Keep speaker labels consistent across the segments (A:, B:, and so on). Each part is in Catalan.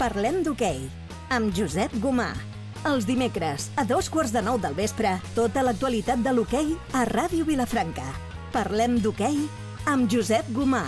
A: Parlem d'hoquei, amb Josep Gomà. Els dimecres, a 8:45 del vespre, tota l'actualitat de l'hoquei a Ràdio Vilafranca. Parlem d'hoquei amb Josep Gomà.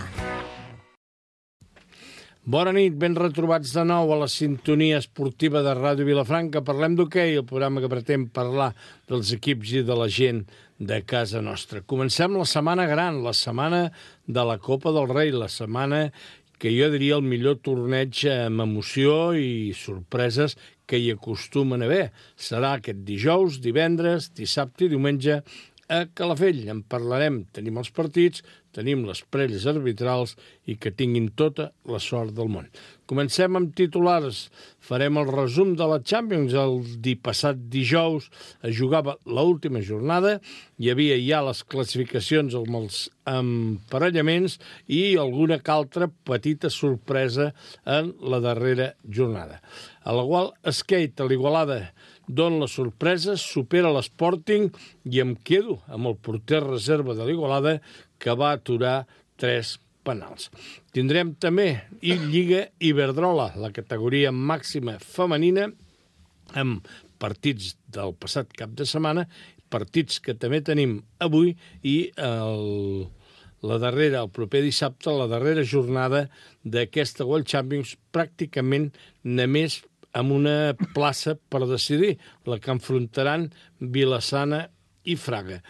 B: Bona nit, ben retrobats de nou a la sintonia esportiva de Ràdio Vilafranca. Parlem d'hoquei, el programa que pretén parlar dels equips i de la gent de casa nostra. Comencem la setmana gran, la setmana de la Copa del Rei, la setmana que jo diria el millor torneig amb emoció i sorpreses que hi acostumen a haver. Serà aquest dijous, divendres, dissabte i diumenge a Calafell. En parlarem, tenim els partits, tenim les prèvies arbitrals i que tinguin tota la sort del món. Comencem amb titulars. Farem el resum de la Champions. El passat dijous es jugava l'última jornada. Hi havia ja les classificacions amb els emparellaments i alguna que altra petita sorpresa en la darrera jornada. A la qual Skate, a l'Igualada, dona la sorpresa, supera l'Sporting i em quedo amb el porter reserva de l'Igualada que va aturar 3 penals. Tindrem també Lliga Iberdrola, la categoria màxima femenina, amb partits del passat cap de setmana, partits que també tenim avui i la darrera, el proper dissabte, la darrera jornada d'aquesta World Champions, pràcticament només amb una plaça per decidir, la que enfrontaran Vilassana i Fraga.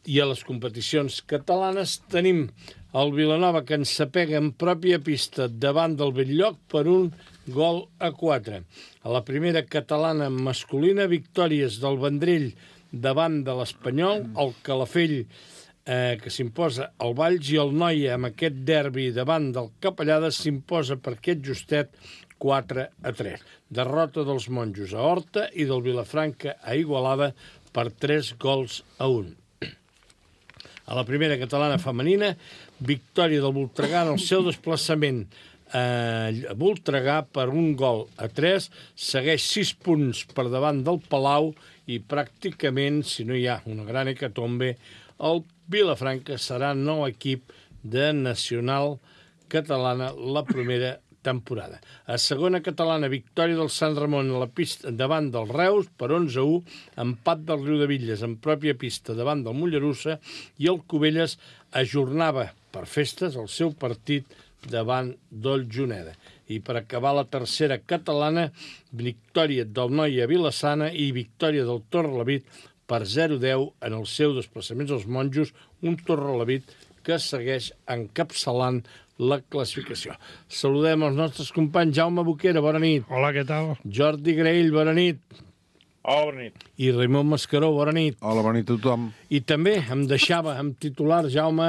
B: I a les competicions catalanes tenim el Vilanova que ensapega en pròpia pista davant del Belllloc per 1-4. A la primera catalana masculina, victòries del Vendrell davant de l'Espanyol, el Calafell que s'imposa al Valls i el Noia amb aquest derbi davant del Capellada s'imposa per aquest justet 4-3. Derrota dels monjos a Horta i del Vilafranca a Igualada per 3-1. A la primera catalana femenina, victòria del Voltregà en el seu desplaçament a Voltregà per 1-3, segueix 6 punts per davant del Palau i pràcticament, si no hi ha una gran hecatombe, el Vilafranca serà nou equip de Nacional Catalana la primera temporada. A segona catalana, victòria del Sant Ramon a la pista davant del Reus per 11-1, empat del Riudebitlles en pròpia pista davant del Mollerussa i el Cubelles ajornava per festes el seu partit davant del Juneda. I per acabar la tercera catalana, victòria del Noia Vilassana i victòria del Torrelavit per 0-10 en el seu desplaçament als monjos, un Torrelavit que segueix encapçalant la classificació. Saludem els nostres companys. Jaume Boquera, bona nit.
C: Hola, què tal?
B: Jordi Graell, bona nit.
D: Hola, bona nit.
B: I Raimon Mascaró, bona nit.
E: Hola, bona nit a tothom.
B: I també em deixava amb titular, Jaume,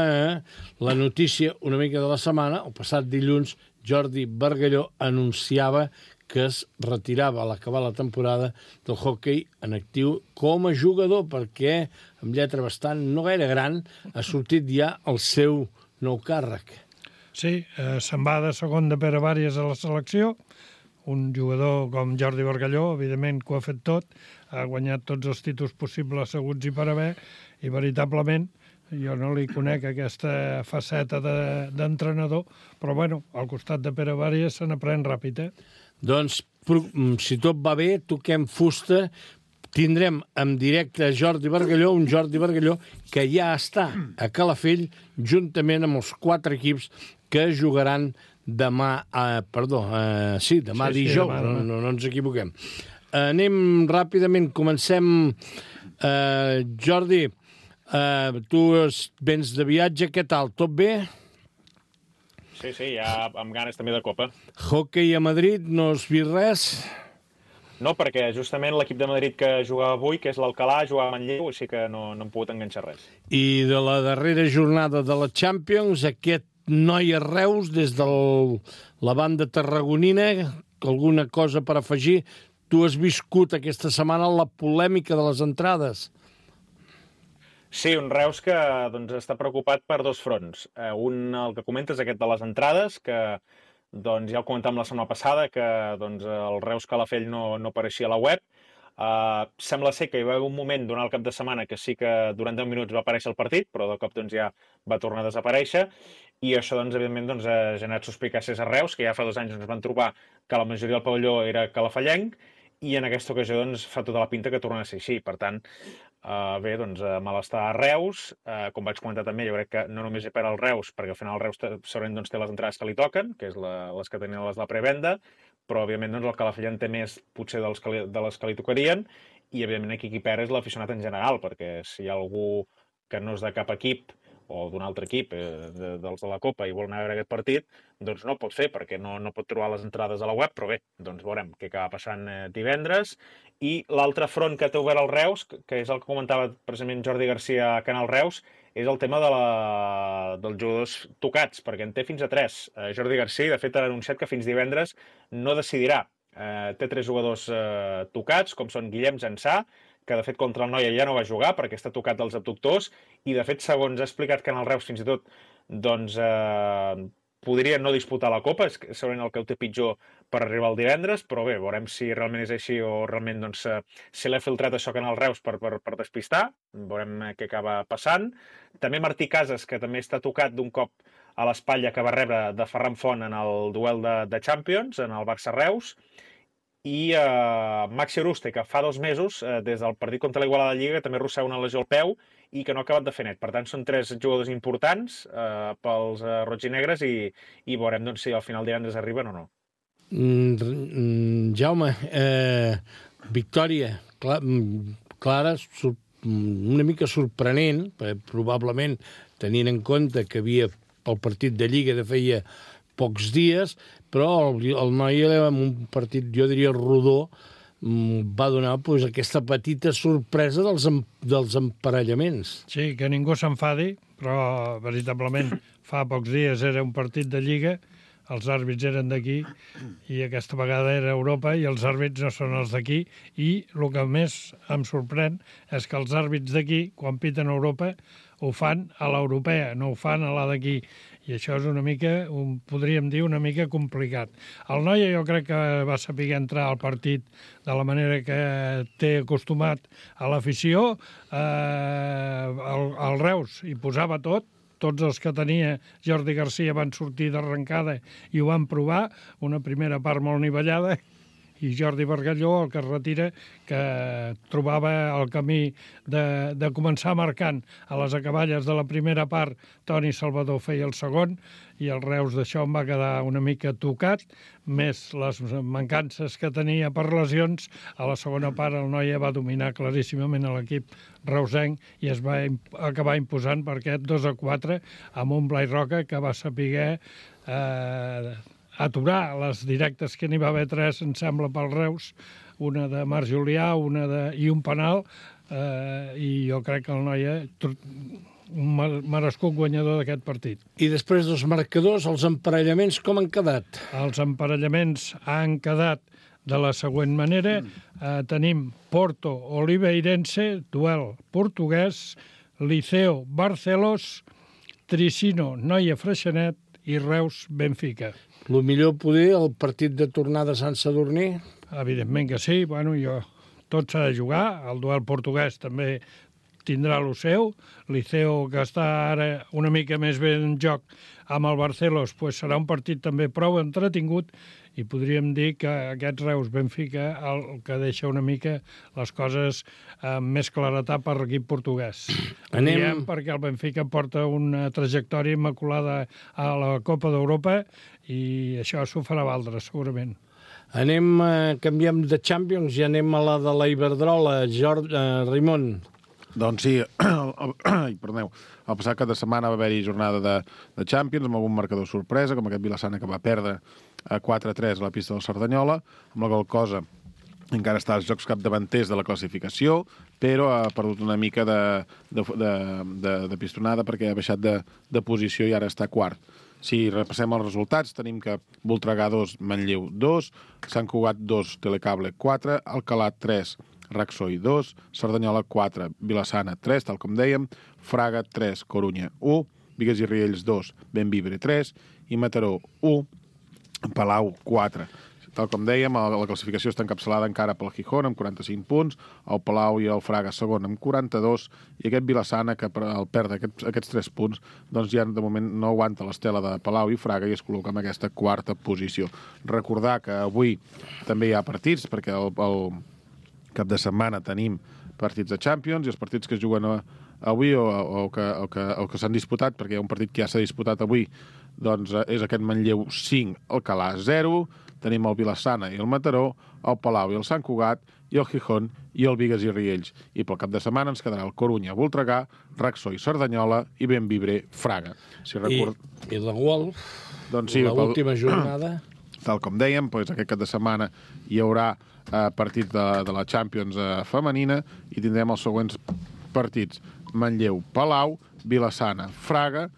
B: la notícia una mica de la setmana. El passat dilluns, Jordi Bargalló anunciava que es retirava a l'acabar la temporada del hoquei en actiu com a jugador, perquè, amb lletra bastant no gaire gran, ha sortit ja el seu nou càrrec.
C: Sí, se'n va de segon de Pere Vàries a la selecció, un jugador com Jordi Bargalló, evidentment que ho ha fet tot, ha guanyat tots els títols possibles asseguts i per haver, i veritablement jo no li conec aquesta faceta d'entrenador, però bueno, al costat de Pere Vàries se n'aprèn ràpid, Doncs,
B: si tot va bé, toquem fusta, tindrem en directe Jordi Bargalló, un Jordi Bargalló que ja està a Calafell juntament amb els 4 equips que jugaran demà, dijous,
C: demà.
B: No ens equivoquem. Anem ràpidament, comencem. Jordi, tu vens de viatge, què tal? Tot bé?
D: Sí, ja amb ganes també de Copa.
B: Hockey a Madrid, no has vist res?
D: No, perquè justament l'equip de Madrid que jugava avui, que és l'Alcalà, jugava a Manlleu, així que no hem pogut enganxar res.
B: I de la darrera jornada de la Champions, aquest Noia Reus, des de la banda tarragonina, alguna cosa per afegir? Tu has viscut aquesta setmana la polèmica de les entrades.
D: Sí, un Reus que està preocupat per 2 fronts. Un, el que comentes, aquest de les entrades, que ja ho comentàvem la setmana passada, que el Reus Calafell no apareixia a la web. Sembla ser que hi va haver un moment durant el cap de setmana que sí que durant 10 minuts va aparèixer el partit, però de cop ja va tornar a desaparèixer. i això, doncs, evidentment, doncs, ha generat suspicàcies a Reus, que ja fa 2 anys ens van trobar que la majoria del pavelló era calafallenc, i en aquesta ocasió doncs, fa tota la pinta que torna a ser així. Per tant, bé, doncs, malestar a Reus. Com vaig comentar també, jo crec que no només per al Reus, perquè al final el Reus segurament doncs, té les entrades que li toquen, que és les que tenien les de la prevenda, però, òbviament, doncs, el Calafell té més, potser, de les que li tocarien, i, evidentment, aquí qui perd és l'aficionat en general, perquè si hi ha algú que no és de cap equip o d'un altre equip, dels de la Copa, i vol anar a veure aquest partit, doncs no ho pot fer, perquè no pot trobar les entrades a la web, però bé, doncs veurem què acaba passant divendres. I l'altre front que té obert el Reus, que és el que comentava precisament Jordi Garcia a Canal Reus, és el tema dels jugadors tocats, perquè en té fins a 3. Jordi Garcia, de fet, ha anunciat que fins divendres no decidirà. Té 3 jugadors tocats, com són Guillem Zansà, que de fet contra el Noia ja no va jugar perquè està tocat dels abductors, i de fet, segons ha explicat Canal Reus fins i tot, doncs podria no disputar la Copa, és segurament el que ho té pitjor per arribar el divendres, però bé, veurem si realment és així o realment doncs, se l'ha filtrat això a Canal Reus per despistar, veurem què acaba passant. També Martí Casas, que també està tocat d'un cop a l'espatlla que va rebre de Ferran Font en el duel de Champions, en el Barça-Reus, i Maxi Oruste, que fa 2 mesos, des del partit contra l'Igualada de Lliga, que també arrossega una lesió al peu i que no ha acabat de fer net. Per tant, són 3 jugadors importants pels roig-i-negres, i veurem doncs, si al final divendres arriben o no.
B: Jaume, victòria clara, una mica sorprenent, probablement tenint en compte que havia pel partit de Lliga de feia pocs dies, però el Noia, en un partit, jo diria, rodó, va donar aquesta petita sorpresa dels emparellaments.
C: Sí, que ningú s'enfadi, però veritablement fa pocs dies era un partit de Lliga, els àrbits eren d'aquí, i aquesta vegada era Europa, i els àrbits no són els d'aquí, i el que més em sorprèn és que els àrbits d'aquí, quan piten a Europa, ho fan a l'europea, no ho fan a la d'aquí. I això és una mica, podríem dir, una mica complicat. El Noia jo crec que va saber entrar al partit de la manera que té acostumat a l'afició. El Reus hi posava tot, tots els que tenia Jordi Garcia van sortir d'arrencada i ho van provar, una primera part molt nivellada, i Jordi Bargalló, el que es retira, que trobava el camí de començar marcant a les acaballes de la primera part. Toni Salvador feia el segon, i el Reus d'això em va quedar una mica tocat, més les mancances que tenia per lesions. A la segona part el Noia va dominar claríssimament a l'equip reusenc i es va acabar imposant per aquest 2-4 amb un Blai Roca que va saber aturar les directes, que n'hi va haver 3, em sembla, pel Reus, una de Marc Julià, i un penal, i jo crec que el Noia un merescut guanyador d'aquest partit.
B: I després dels marcadors, els emparellaments com han quedat?
C: Els emparellaments han quedat de la següent manera. Tenim Porto Oliveirense, duel portuguès, Liceo Barcelos, Tricino Noia Freixenet i Reus Benfica.
B: El millor poder, el partit de tornada a Sant Sadurní?
C: Evidentment que sí. Bueno, tot s'ha de jugar. El duel portuguès també tindrà el seu. Liceo, que està ara una mica més bé en joc amb el Barcelos, pues serà un partit també prou entretingut, i podríem dir que aquest Reus-Benfica el que deixa una mica les coses més claretat per l'equip portuguès. Diem perquè el Benfica porta una trajectòria immaculada a la Copa d'Europa i això s'ho farà valdre, segurament.
B: Canviem de Champions i anem a la de la Iberdrola. Raimon.
E: Doncs sí, perdoneu, el passat cap de setmana va haver-hi jornada de Champions amb algun marcador sorpresa, com aquest Vilassana que va perdre 4-3 a la pista del Cerdanyola, amb la qual cosa encara està als jocs capdavanters de la classificació, però ha perdut una mica de pistonada perquè ha baixat de posició i ara està quart. Si repassem els resultats, tenim que Voltregà 2, Manlleu 2, Sant Cugat 2, Telecable 4, Alcalà 3, Raxoi 2, Cerdanyola 4, Vilassana 3, tal com dèiem, Fraga 3, Corunya 1, Bigues i Riells 2, Benvibre 3 i Mataró 1, Palau 4. Tal com dèiem, la classificació està encapçalada encara pel Gijón, amb 45 punts, el Palau i el Fraga segon amb 42, i aquest Vilassana, que al perdre aquests 3 punts, doncs ja de moment no aguanta l'estela de Palau i Fraga i es col·loca en aquesta quarta posició. Recordar que avui també hi ha partits, perquè el cap de setmana tenim partits de Champions, i els partits que es juguen avui o que s'han disputat, perquè hi ha un partit que ja s'ha disputat avui, doncs és aquest Manlleu 5, Alcalà 0, tenim el Vilassana i el Mataró, el Palau i el Sant Cugat, i el Gijón i el Bigues i Riells. I pel cap de setmana ens quedarà el Corunya, Voltregà, Raxó i Cerdanyola i Bemvibre, Fraga.
B: I la Wolf,
E: doncs sí,
B: l'última jornada.
E: Tal com dèiem, doncs aquest cap de setmana hi haurà partit de la Champions femenina i tindrem els següents partits: Manlleu, Palau, Vilassana, Fraga,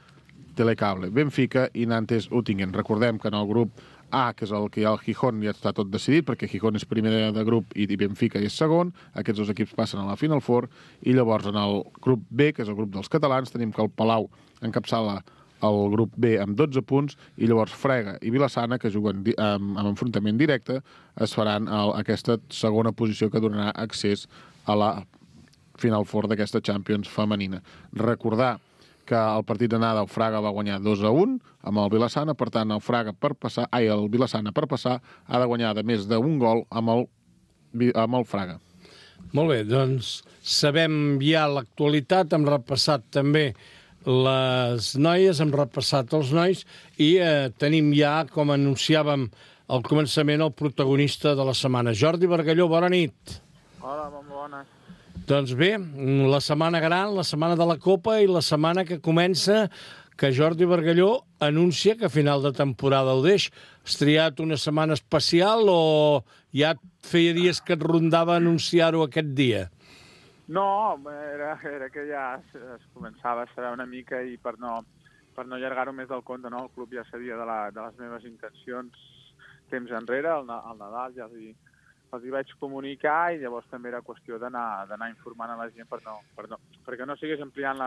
E: Telecable, Benfica i Nantes, Uttingen. Recordem que en el grup A, que és el que hi ha al Gijón, ja està tot decidit, perquè Gijón és primer de grup i Benfica és segon. Aquests 2 equips passen a la Final Four. I llavors, en el grup B, que és el grup dels catalans, tenim que el Palau encapçala el grup B amb 12 punts, i llavors Fraga i Vilassana, que juguen amb enfrontament directe, es faran aquesta segona posició que donarà accés a la Final Four d'aquesta Champions femenina. Recordar que el partit d'anada el Fraga va guanyar 2-1 amb el Vilassana, per tant el Vilassana per passar ha de guanyar de més d'un gol amb el Fraga.
B: Molt bé, doncs sabem ja l'actualitat, hem repassat també les noies, hem repassat els nois i tenim ja, com anunciàvem al començament, el protagonista de la setmana. Jordi Bargalló, bona nit.
F: Hola, molt bones.
B: Doncs bé, la setmana gran, la setmana de la Copa i la setmana que comença, que Jordi Bargalló anuncia que a final de temporada ho deix. Has triat una setmana especial o ja feia dies que et rondava anunciar-ho aquest dia?
F: No, era que ja es començava a saber una mica i per no allargar-ho més del compte, no? El club ja sabia de les meves intencions temps enrere, al Nadal ja els hi vaig comunicar i llavors també era qüestió d'anar informant a la gent perquè no sigués ampliant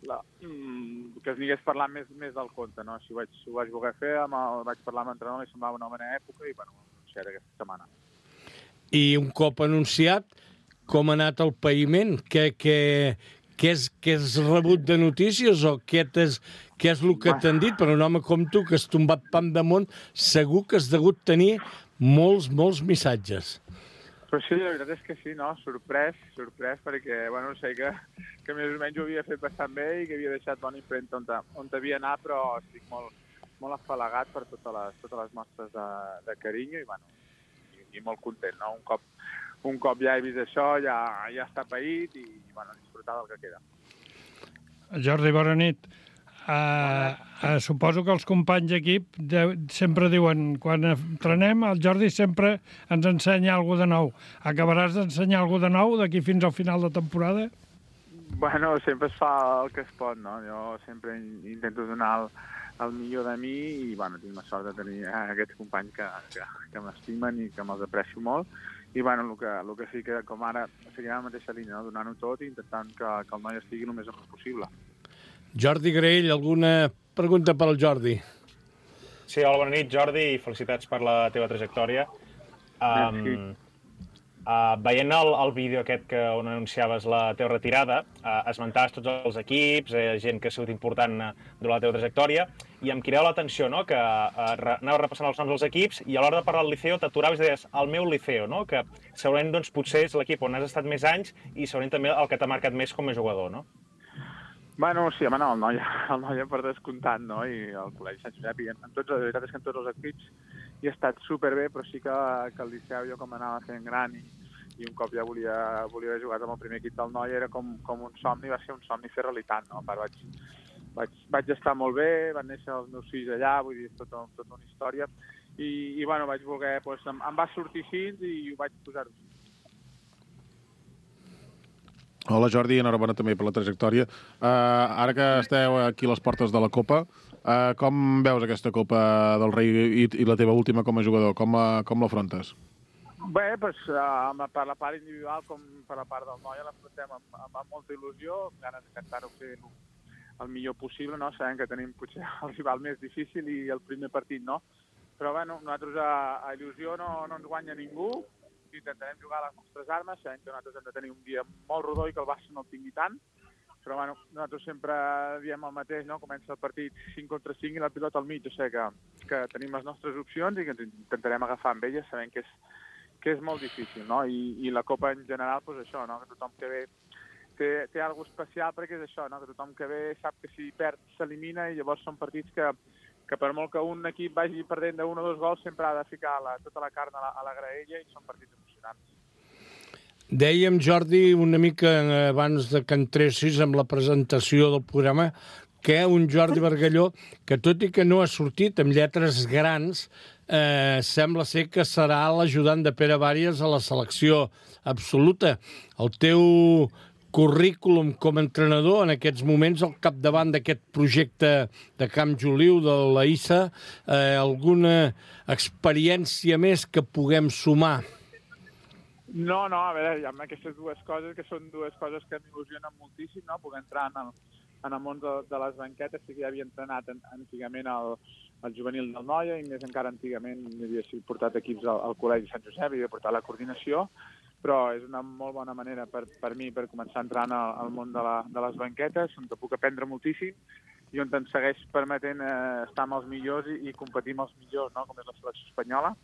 F: que es anigués parlant més del compte, no? Així ho vaig voler fer, vaig parlar amb l'entrenador, li semblava una bona època i, bueno, anunciaré aquesta setmana.
B: I un cop anunciat, com ha anat el païment? Què has rebut de notícies o què és el que t'han dit? Per un home com tu, que has tombat pam damunt, segur que has degut tenir molts missatges.
F: Però sí, la veritat és que sí, no? Sorprès, perquè, bueno, sé que més o menys ho havia fet bastant bé i que havia deixat bona impremta on havia anat, però estic molt afalagat per totes les mostres de carinyo i, bueno, i molt content, no? Un cop ja he vist això, ja està paït i, bueno, disfrutar del que queda.
C: Jordi, bona nit. Suposo que els companys d'equip sempre diuen, quan entrenem, el Jordi sempre ens ensenya alguna de nou. Acabaràs d'ensenyar alguna de nou d'aquí fins al final de temporada?
F: Bueno, sempre es fa el que es pot, no? Jo sempre intento donar el millor de mi i, bueno, tinc la sort de tenir aquests companys que m'estimen i que me'ls aprecio molt. I, bueno, el que sí que, com ara, seguirà la mateixa línia, no? Donant-ho tot i intentant que el noi estigui el més amunt possible.
B: Jordi Graell, alguna pregunta per al Jordi?
D: Sí, hola, bona nit, Jordi, i felicitats per la teva trajectòria. Veient el vídeo aquest on anunciaves la teva retirada, esmentaves tots els equips, gent que ha sigut important durant la teva trajectòria, i em cridava l'atenció, no?, que anava repassant els noms dels equips i a l'hora de parlar del Liceo t'aturaves i deies el meu Liceo, no?, que segurament doncs, potser és l'equip on has estat més anys i segurament també el que t'ha marcat més com a jugador, no?
F: Bueno, sí, home, no, el Noia per descomptat, no? I el Col·legi Sant Josep, i la veritat és que en tots els equips hi he estat superbé, però sí que el Liceu, jo com anava fent gran i un cop ja volia haver jugat amb el primer equip del Noia, era com un somni, va ser un somni fer realitat, no? A part, vaig estar molt bé, van néixer els meus fills allà, vull dir, és tota una història, i bueno, vaig voler, doncs, em va sortir així i ho vaig posar-ho.
E: Hola, Jordi, enhorabona també per la trajectòria. Ara que esteu aquí a les portes de la Copa, com veus aquesta Copa del Rei i la teva última com a jugador? Com l'afrontes?
F: Bé, doncs, per la part individual com per la part del Noia l'afrontem amb molta il·lusió, ganes d'intentar-ho fer el millor possible, no? Sabem que tenim potser el rival més difícil i el primer partit, no? Però, bueno, nosaltres a il·lusió no ens guanya ningú, intentarem jugar a les nostres armes, sabem que nosaltres hem de tenir un dia molt rodó i que el Barça no el tingui tant, però bueno, nosaltres sempre diem el mateix, no? Comença el partit 5 contra 5 i la pilota al mig, o sigui que tenim les nostres opcions i que ens intentarem agafar amb elles, sabem que és molt difícil, no? I la Copa en general, doncs això, no? Que tothom que ve té alguna cosa especial perquè és això, no? Que tothom que ve sap que si perd s'elimina i llavors són partits que per molt que un equip vagi perdent de 1 o 2 gols sempre ha de ficar tota la carn a la graella i són partits emocionants.
B: Dèiem, Jordi, una mica abans de que entressis amb la presentació del programa, que un Jordi Bargalló, que tot i que no ha sortit amb lletres grans, sembla ser que serà l'ajudant de Pere Bàries a la selecció absoluta. El teu currículum com a entrenador en aquests moments al capdavant d'aquest projecte de Camp Joliu, de la ISA, alguna experiència més que puguem sumar?
F: No, a veure, hi ha aquestes dues coses que són dues coses que m'il·lusionen moltíssim, no? Poder entrar en el món de les banquetes, sí que ja havia entrenat antigament al juvenil del Noia i més encara antigament havia portat equips al Col·legi Sant Josep i havia portat la coordinació, però és una molt bona manera per mi per començar a entrar al món de les banquetes, on te puc aprendre moltíssim i on em segueix permetent estar amb els millors i competir amb els millors, no? Com és la selecció espanyola.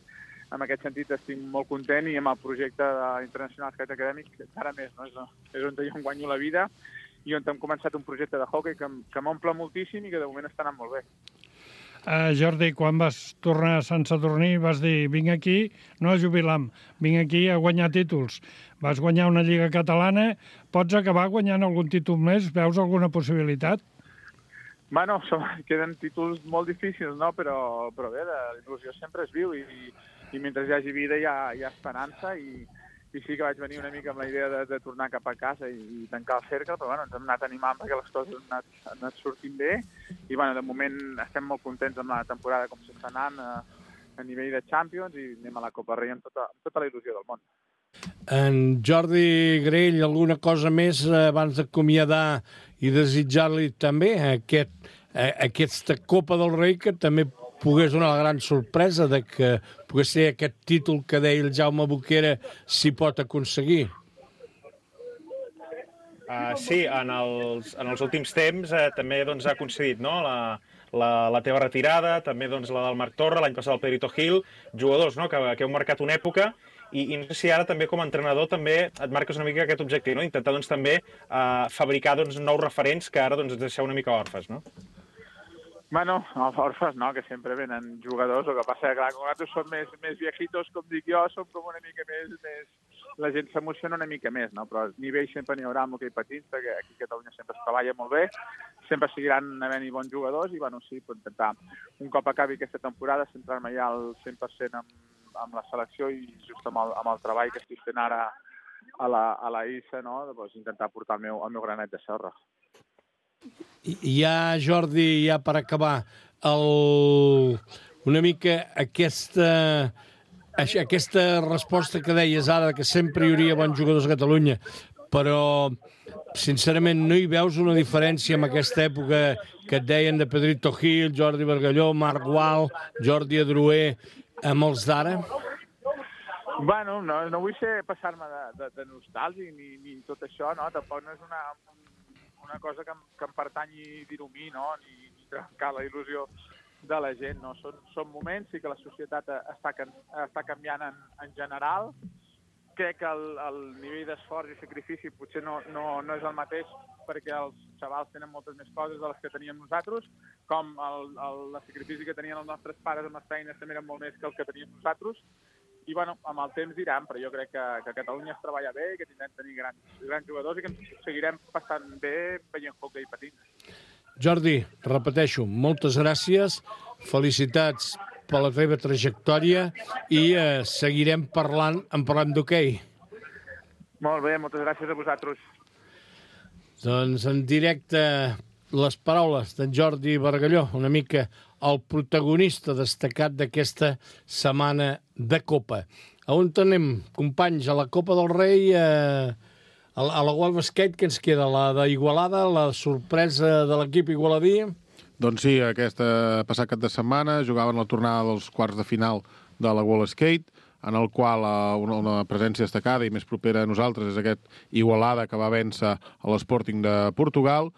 F: En aquest sentit estic molt content i amb el projecte internacional acadèmic encara més, no? És on jo em guanyo la vida i on hem començat un projecte de hockey que m'omple moltíssim i que de moment està anant molt bé.
C: Jordi, quan vas tornar a Sant Sadurní vas dir, vinc aquí no a jubilar-me, vinc aquí a guanyar títols. Vas guanyar una Lliga Catalana, pots acabar guanyant algun títol més? Veus alguna possibilitat?
F: Bueno, queden títols molt difícils, no? Però bé, la il·lusió sempre es viu i mentre hi hagi vida hi ha esperança i sí que vaig venir una mica amb la idea de tornar cap a casa i tancar el cercle, però bueno, ens hem anat animant perquè les coses han anat sortint bé i bueno, de moment estem molt contents amb la temporada com s'està anant a nivell de Champions i anem a la Copa Rei amb tota la il·lusió del món.
B: En Jordi Grell, alguna cosa més abans d'acomiadar i desitjar-li també aquesta Copa del Rei que també pogués donar la gran sorpresa de que pogués ser aquest títol que deia el Jaume Boquera s'hi pot aconseguir.
D: Sí, en els últims temps també ha coincidit, no? La teva retirada, també la del Marc Torra, l'any passat el Pedrito Gil, jugadors que heu marcat una època i no sé si ara també com a entrenador també et marques una mica aquest objectiu, no? Intentar també fabricar nous referents que ara ens deixeu una mica orfes, no?
F: Bueno, orfes no, que sempre venen jugadors, el que passa que clar, com nosaltres som més viejitos, com dic jo, som com una mica més... La gent s'emociona una mica més, no? Però a nivell sempre n'hi haurà amb hoquei patins, perquè aquí a Catalunya sempre es treballa molt bé, sempre seguiran havent-hi bons jugadors i, bueno, sí, puc intentar, un cop acabi aquesta temporada, centrar-me ja al 100% amb la selecció i just amb el treball que estic fent ara a la ISA, no? Doncs intentar portar el meu granet de sorra.
B: Ja, Jordi, ja per acabar, una mica aquesta resposta que deies ara, que sempre hi hauria bons jugadors a Catalunya, però, sincerament, no hi veus una diferència en aquesta època que et deien de Pedrito Gil, Jordi Bargalló, Marc Gual, Jordi Adroer, amb els d'ara?
F: Bueno, no vull passar-me de nostàlgic ni tot això, no? Tampoc no és una cosa que em pertanyi dir-ho a mi, no? Ni trencar la il·lusió de la gent, no? Són moments, sí que la societat està canviant en general. Crec que el nivell d'esforç i sacrifici potser no és el mateix perquè els xavals tenen moltes més coses de les que teníem nosaltres, com el sacrifici que tenien els nostres pares amb les feines també era molt més que el que teníem nosaltres. I, bueno, amb el temps diran, però jo crec que a Catalunya es treballa bé, que tindrem tenir grans jugadors i que ens seguirem passant bé veient hoquei patins.
B: Jordi, repeteixo, moltes gràcies, felicitats per la teva trajectòria i seguirem parlant d'hoquei.
F: Molt bé, moltes gràcies a vosaltres.
B: Doncs en directe les paraules d'en Jordi Bargalló, una mica el protagonista destacat d'aquesta setmana de Copa. A on anem, companys? A la Copa del Rei, a la World Basket, que ens queda? La d'Igualada, la sorpresa de l'equip igualadí?
E: Doncs sí, passat cap de setmana jugaven la tornada dels quarts de final de la World Skate, en el qual una presència destacada i més propera a nosaltres és aquest Igualada que va vèncer a l'Sporting de Portugal,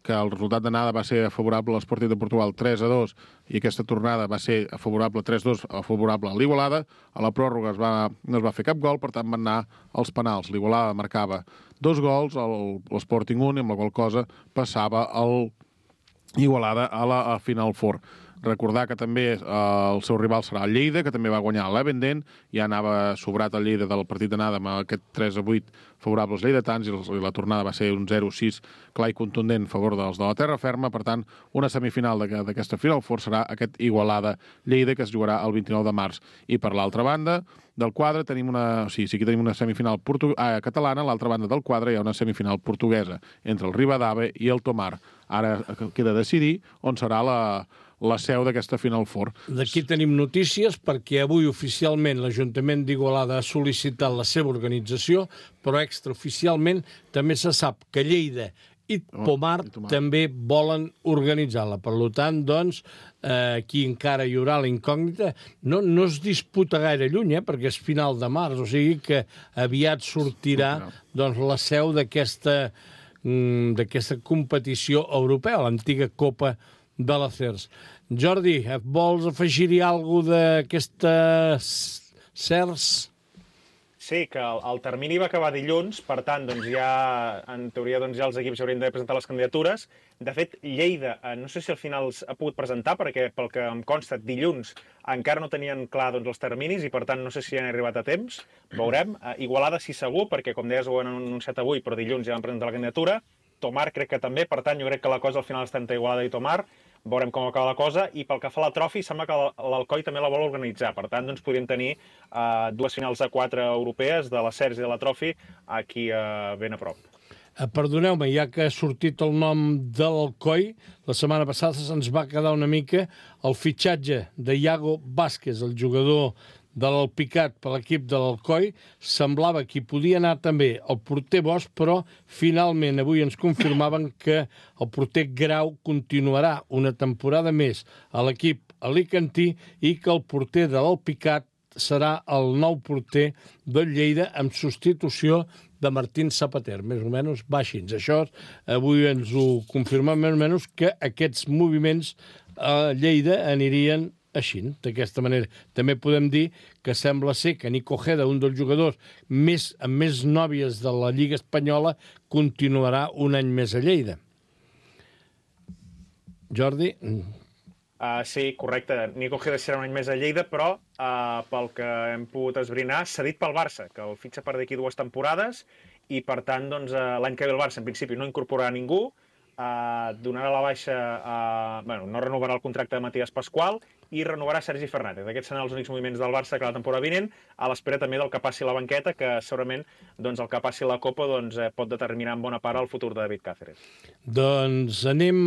E: que el resultat d'anada va ser favorable a l'Sporting de Portugal 3-2 i aquesta tornada va ser favorable 3-2 favorable a l'Igualada. A la pròrroga no es va fer cap gol, per tant van anar als penals. L'Igualada marcava 2 gols, l'Sporting 1, amb la qual cosa passava el Igualada a la Final Four. Recordar que també el seu rival serà el Lleida, que també va guanyar l'Evenden, ja anava sobrat el Lleida del partit d'anada amb aquest 3-8 favorable als lleidatans, i la tornada va ser un 0-6 clar i contundent a favor dels de la terra ferma. Per tant, una semifinal d'aquesta Final Four serà aquest Igualada-Lleida, que es jugarà el 29 de març. I per l'altra banda del quadre tenim sí que tenim una semifinal catalana, a l'altra banda del quadre hi ha una semifinal portuguesa entre el Ribadave i el Tomar. Ara queda decidir on serà la seu d'aquesta Final Four.
B: D'aquí tenim notícies perquè avui oficialment l'Ajuntament d'Igualada ha sol·licitat la seva organització, però extraoficialment també se sap que Lleida i Tomar també volen organitzar-la. Per tant, doncs, aquí encara hi haurà la incògnita. No es disputa gaire lluny, perquè és final de març, o sigui que aviat sortirà la seu d'aquesta competició europea, l'antiga Copa de l'Acers. Jordi, vols afegir-hi alguna cosa d'aquestes CERS?
D: Sí, que el termini va acabar dilluns, per tant, doncs ja, en teoria, doncs ja els equips haurien de presentar les candidatures. De fet, Lleida, no sé si al final ha pogut presentar, perquè pel que em consta, dilluns encara no tenien clar doncs, els terminis i, per tant, no sé si han arribat a temps. Veurem. Igualada sí segur, perquè, com deies, ho han anunciat avui, però dilluns ja van presentar la candidatura. Tomar crec que també, per tant, jo crec que la cosa al final està entre Igualada i Tomar. Veurem com acaba la cosa, i pel que fa a la Trofi sembla que l'Alcoi també la vol organitzar. Per tant, doncs podríem tenir 2 finals a 4 europees de la CERS i de la Trofi aquí ben a prop.
B: Perdoneu-me, ja que ha sortit el nom de l'Alcoi, la setmana passada se'ns va quedar una mica el fitxatge de Iago Vázquez, el jugador de l'Alpicat per l'equip de l'Alcoi. Semblava que hi podia anar també el porter Bosch, però finalment avui ens confirmaven que el porter Grau continuarà una temporada més a l'equip alicantí i que el porter de l'Alpicat serà el nou porter del Lleida amb substitució de Martín Zapater. Més o menys va així. Això avui ens ho confirmen més o menys que aquests moviments a Lleida anirien així, d'aquesta manera. També podem dir que sembla ser que Nico Ojeda, un dels jugadors amb més nòvies de la Lliga Espanyola, continuarà un any més a Lleida. Jordi?
D: Sí, correcte. Nico Ojeda serà un any més a Lleida, però pel que hem pogut esbrinar, cedit pel Barça, que el fitxa per d'aquí 2 temporades, i per tant, doncs, l'any que ve el Barça, en principi, no incorporarà ningú, donarà la baixa, no renovarà el contracte de Matías Pascual i renovarà Sergi Fernández. Aquests seran els únics moviments del Barça que la temporada vinent, a l'espera també del que passi a la banqueta, que segurament doncs, el que passi a la Copa doncs, pot determinar en bona part el futur de David Cáceres.
B: Doncs anem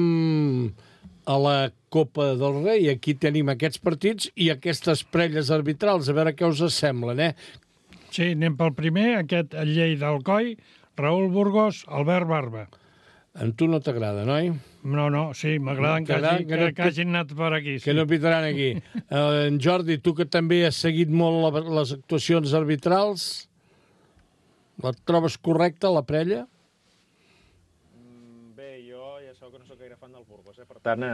B: a la Copa del Rei. Aquí tenim aquests partits i aquestes prelles arbitrals, a veure què us semblen,
C: Sí, anem pel primer, aquest Lleida Alcoi, Raül Burgos, Albert Barba.
B: A tu no t'agrada, noi?
C: No, sí, m'agraden que hagin anat per aquí. Sí.
B: Que no pitaran aquí. En Jordi, tu que també has seguit molt les actuacions arbitrals, la trobes correcta, la prella?
D: Bé, jo ja sabeu que no soc gaire fan del Burgos, per tant,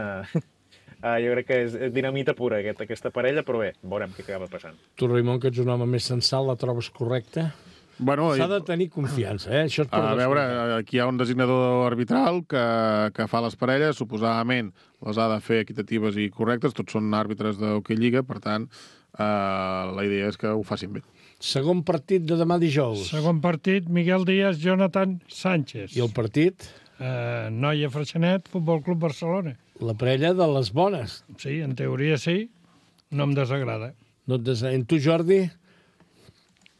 D: jo crec que és dinamita pura aquesta parella, però bé, veurem què acaba passant.
B: Tu, Raimon, que ets un home més sensat, la trobes correcta?
E: Bueno,
B: s'ha de tenir confiança, Això és per
E: veure, aquí hi ha un designador arbitral que fa les parelles, suposadament les ha de fer equitatives i correctes, tots són àrbitres d'Hockey Lliga, per tant, la idea és que ho facin bé.
B: Segon partit de demà dijous.
C: Segon partit, Miguel Díaz, Jonathan Sánchez.
B: I el partit?
C: Noia Freixenet, Futbol Club Barcelona.
B: La parella de les bones.
C: Sí, en teoria sí, no em desagrada.
B: No et desagrada. En tu, Jordi?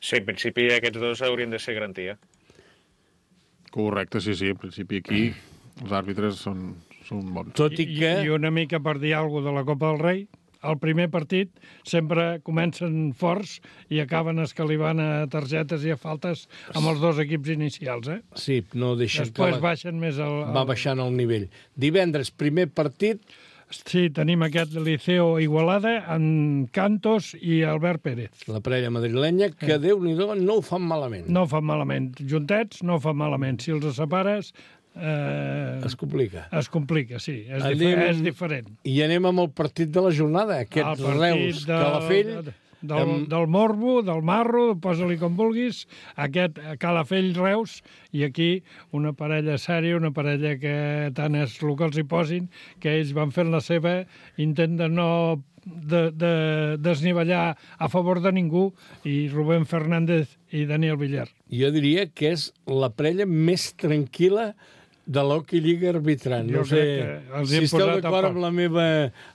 D: Sí, en principi aquests dos haurien de ser garantia.
E: Correcte, sí, en principi aquí els àrbitres són bons.
B: Tot i que...
C: I una mica per dir alguna cosa de la Copa del Rei, el primer partit sempre comencen forts i acaben escalivant a targetes i a faltes amb els 2 equips inicials,
B: Sí, no deixen
C: Després baixen més
B: va baixant el nivell. Divendres, primer partit...
C: Sí, tenim aquest Liceo Igualada amb Cantos i Albert Pérez.
B: La parella madrilenya, que Déu-n'hi-do, no ho fan malament.
C: No ho fan malament. Juntets no ho fan malament. Si els separes...
B: Es complica.
C: Es complica, sí. És diferent.
B: I anem amb el partit de la jornada, aquest Reus Calafell...
C: Del Morbo, del Marro, posa-li com vulguis, aquest Calafell-Reus, i aquí una parella sèria, una parella que tant és el que els hi posin, que ells van fent la seva intent de no desnivellar a favor de ningú, i Rubén Fernández i Daniel Villar.
B: Jo diria que és la parella més tranquil·la de l'Hockey Lliga arbitrant. No sé si esteu d'acord amb la meva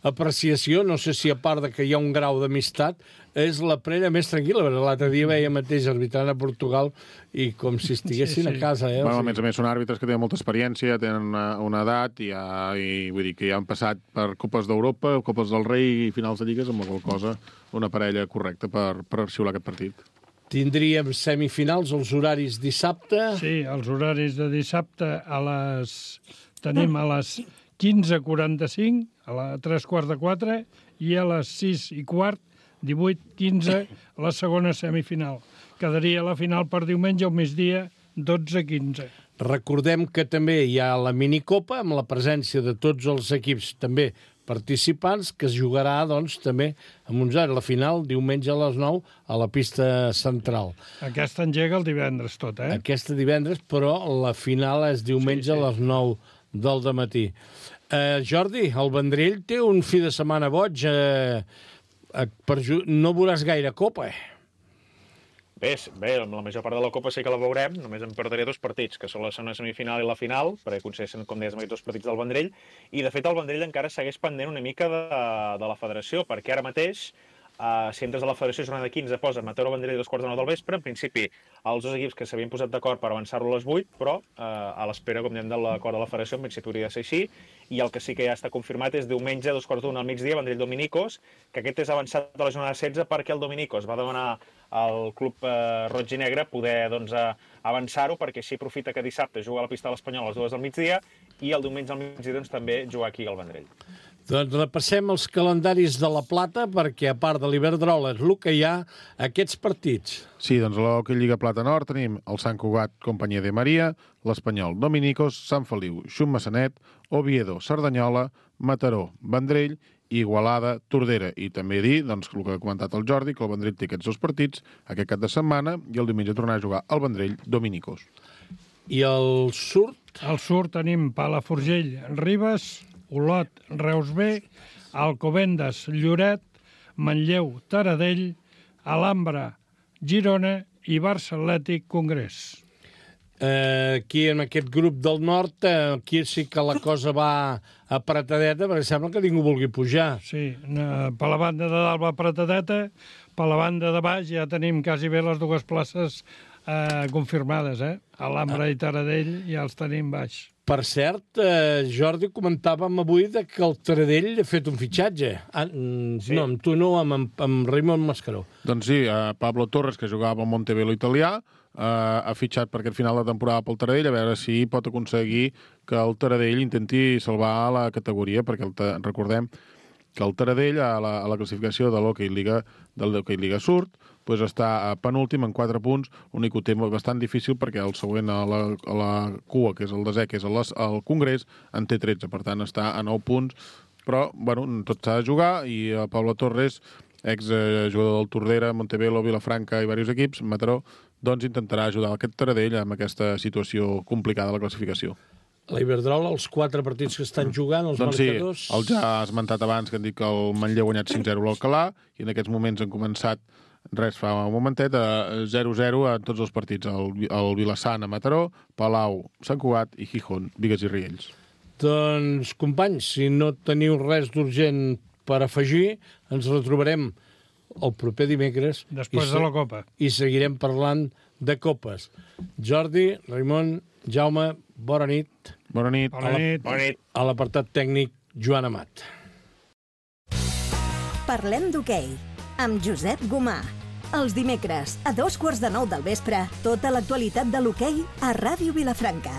B: apreciació, no sé si a part de que hi ha un grau d'amistat, és la parella més tranquil·la. L'altre dia veia mateix arbitrant a Portugal i com si estiguessin a casa.
E: Bueno, a més, són àrbitres que tenen molta experiència, tenen una edat, i vull dir que ja han passat per Copes d'Europa, Copes del Rei i finals de lligues, amb la qual cosa una parella correcta per xiular aquest partit.
B: Tindríem semifinals, els horaris dissabte.
C: Sí, els horaris de dissabte tenim a les 15:45, a les 3:45, i a les 6:15, 18:15, la segona semifinal. Quedaria la final per diumenge al migdia, 12:15.
B: Recordem que també hi ha la minicopa, amb la presència de tots els equips també participants, que es jugarà, doncs, també amb uns anys. La final, diumenge a les 9, a la pista central.
C: Aquesta engega el divendres tot, eh?
B: Aquesta divendres, però la final és diumenge a les 9 del dematí. Jordi, el Vendrell té un fi de setmana boig. No veuràs gaire copa,
D: Bé, la major part de la Copa sí que la veurem, només em perdré 2 partits, que són la segona semifinal i la final, perquè concedeixen, com deies, aquests 2 partits del Vendrell, i de fet el Vendrell encara segueix pendent una mica de la federació, perquè ara mateix, si entres a la federació jornada 15, posa Mataró Vendrell 2:45 del vespre, en principi els 2 equips que s'havien posat d'acord per avançar-lo a les 8, però a l'espera, com diem, de l'acord de la federació, en principi hauria de ser així, i el que sí que ja està confirmat és diumenge 2:45 al migdia, Vendrell Dominicos, que aquest és avançat de la jornada 16 perquè el Dominicos va demanar al club roig i negre poder avançar-ho, perquè així aprofita que dissabte juga a la pista de l'Espanyol a les 2 del migdia i el diumenge al migdia també jugar aquí al Vendrell.
B: Doncs repassem els calendaris de la Plata, perquè a part de l'Iberdrola és el que hi ha aquests partits.
E: Sí, doncs a l'Hockey Lliga Plata Nord tenim el Sant Cugat Companyia de Maria, l'Espanyol Dominicos, Sant Feliu, Xum-Massanet, Oviedo, Cerdanyola, Mataró, Vendrell, Igualada, Tordera. I també dir, doncs, el que ha comentat el Jordi, que el Vendrell té aquests 2 partits aquest cap de setmana i el diumenge tornarà a jugar al Vendrell Dominicos.
B: I el surt?
C: Al surt tenim Palafrugell, Ribes, Olot, Reus B, Alcobendas, Lloret, Manlleu, Taradell, Alhambra, Girona i Barça Atlètic, Congrés.
B: Aquí, en aquest grup del nord, aquí sí que la cosa va apretadeta, perquè sembla que ningú vulgui pujar.
C: Sí, per la banda de dalt va apretadeta, per la banda de baix ja tenim quasi bé les 2 places confirmades, Alhambra i Taradell ja els tenim baix.
B: Per cert, Jordi, comentàvem avui que el Taradell ha fet un fitxatge. Sí. No, amb tu no, amb Raimon Mascaró.
E: Doncs sí, Pablo Torres, que jugava al Montebello italià, ha fitxat per aquest final de temporada pel Taradell, a veure si pot aconseguir que el Taradell intenti salvar la categoria, perquè recordem que el Taradell, a la classificació de l'Hockey Lliga Surt, doncs està penúltim en 4 punts, l'únic que ho té bastant difícil perquè el següent a la cua, que és el desè, que és el Congrés, en té 13, per tant està a 9 punts, però bueno, tot s'ha de jugar, i Pablo Torres, exjugador del Tordera, Montebello, Vilafranca i diversos equips, Mataró, doncs intentarà ajudar aquest Taradell amb aquesta situació complicada de la classificació.
B: La Iberdrola, els 4 partits que estan jugant, els marcadors...
E: Sí, el ja has esmentat abans, que han dit que el Manlleu ha guanyat 5-0 a l'Alcalà, i en aquests moments han començat, fa un momentet, 0-0 a tots els partits. El Vilassant a Mataró, Palau, Sant Cugat i Gijón, Bigues i Riells.
B: Doncs, companys, si no teniu res d'urgent per afegir, ens retrobarem el proper dimecres.
C: Després de la Copa.
B: I seguirem parlant de copes. Jordi, Raimon, Jaume, bona nit.
E: Bona nit.
C: Bona nit.
B: A l'apartat tècnic, Joan Amat.
A: Parlem d'hoquei, amb Josep Gomà. Els dimecres, a 9:15 del vespre, tota l'actualitat de l'hoquei a Ràdio Vilafranca.